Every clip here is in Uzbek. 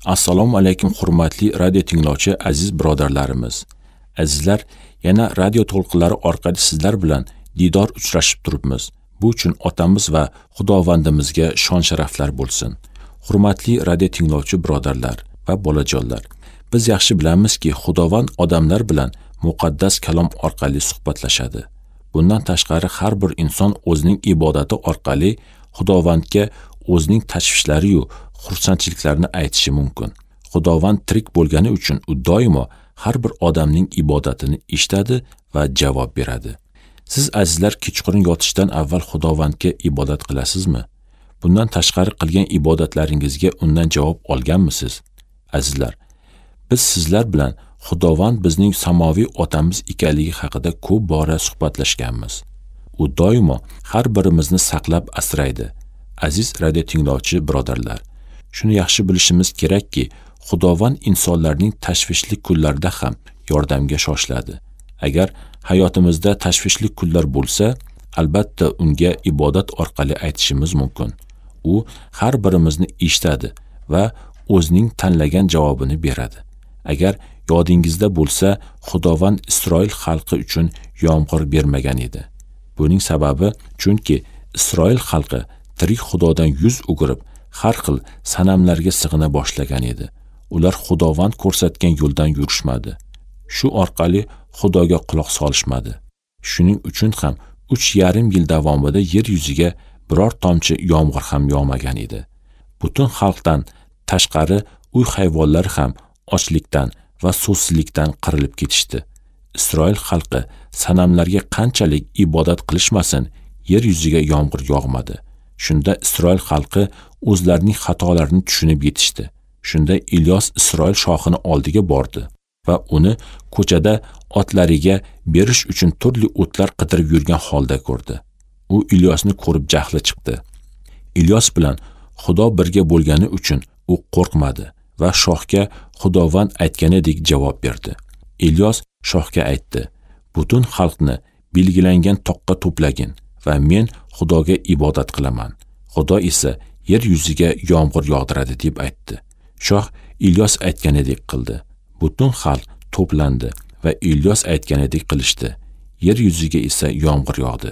Assalomu alaykum hurmatli radio tinglovchi aziz birodarlarimiz. Azizlar, yana radio to'lqinlari orqali sizlar bilan diydor uchrashib turibmiz. Bu uchun otamiz va Xudovandimizga shon-sharaflar bo'lsin. Hurmatli radio tinglovchi birodarlar va bolajonlar, biz yaxshi bilamizki, Xudovand odamlar bilan muqaddas kalom orqali suhbatlashadi. Bundan tashqari har bir inson o'zining ibodati orqali Xudovandga o'zining tashvishlari-yu xursandchiliklarini aytishi mumkin. Xudovand tirik bo'lgani uchun u doimo har bir odamning ibodatini eshitadi va javob beradi. Siz azizlar kechqurun yotishdan avval Xudovandga ibodat qilasizmi? Bundan tashqari qilgan ibodatlaringizga undan javob olganmisiz? Azizlar, biz sizlar bilan Xudovand bizning samoviy otamiz ekanligi haqida ko'p bora suhbatlashganmiz. U doimo har birimizni saqlab asraydi. Aziz radio tinglovchi birodarlar, shuni yaxshi bilishimiz kerakki, Xudovand insonlarning tashvishli kunlarida ham yordamga shoshiladi. Agar hayotimizda tashvishli kunlar bo'lsa, albatta unga ibodat orqali aytishimiz mumkin. U har birimizni eshitadi va o'zining tanlagan javobini beradi. Agar yodingizda bo'lsa, Xudovand Isroil xalqi uchun yomg'ir bermagan edi. Buning sababi, chunki Isroil xalqi tirik Xudodan yuz o'girib, har xil sanamlarga sig'ina boshlagan edi. Ular Xudovand ko'rsatgan yo'ldan yurishmadi. Shu orqali Xudoga quloq solishmadi. Shuning uchun ham 3,5 yil davomida yer yuziga biror tomchi yomg'ir ham yog'magan edi. Butun xalqdan tashqari uy hayvonlari ham ochlikdan va suvsizlikdan qirilib ketishdi. Isroil xalqi sanamlarga qanchalik ibodat qilishmasin, yer yuziga yomg'ir yog'madi. Shunda Isroil xalqi o'zlarining xatolarini tushunib yetishdi. Shunda Ilyos Isroil shohini oldiga bordi va uni ko'chada otlariga berish uchun turli o'tlar qidirib yurgan holda ko'rdi. U Ilyosni ko'rib jahli chiqdi. Ilyos bilan Xudo birga bo'lgani uchun u qo'rqmadi va shohga Xudovand aytganidek javob berdi. Ilyos shohga aytdi: "Butun xalqni belgilangan toqqa to'plagin va men Xudoga ibodat qilaman. Xudo esa yer yuziga yomg'ir yog'diradi" deb aytdi. Shoh Ilyos aytganidek qildi. Butun xalq to'plandi va Ilyos aytganidek qilishdi. Yer yuziga esa yomg'ir yog'di.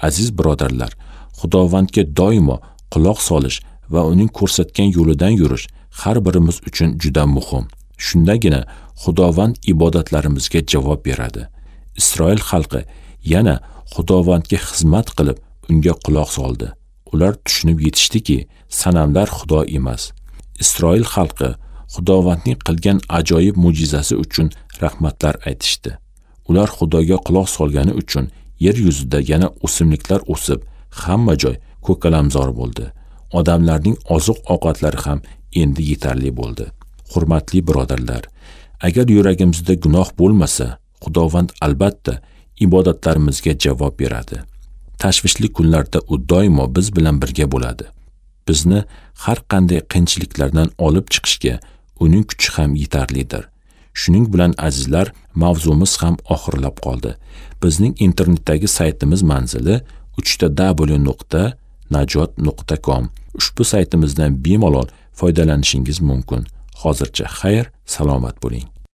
Aziz birodarlar, Xudovandga doimo quloq solish va uning ko'rsatgan yo'lidan yurish har birimiz uchun juda muhim. Shundagina Xudovand ibodatlarimizga javob beradi. Isroil xalqi yana Xudovandga xizmat qilib, unga quloq soldi. Ular tushunib yetishdiki, sanamlar Xudo emas. Isroil xalqi Xudovandning qilgan ajoyib mo'jizasi uchun rahmatlar aytishdi. Ular Xudoga quloq solgani uchun yer yuzida yana o'simliklar o'sib, hamma joy ko'kalamzor bo'ldi. Odamlarning oziq-ovqatlari ham endi yetarli bo'ldi. Hurmatli birodarlar, agar yuragimizda gunoh bo'lmasa, Xudovand albatta ibodatlarimizga javob beradi. Tashvishli kunlarda u doimo biz bilan birga bo'ladi. Bizni har qanday qiyinchiliklardan olib chiqishga uning kuchi ham yetarlidir. Shuning bilan azizlar, mavzumiz ham oxirlab qoldi. Bizning internetdagi saytimiz manzili www.najot.com. Ushbu saytimizdan bemalol foydalanishingiz mumkin. Hozircha xayr, salomat bo'ling.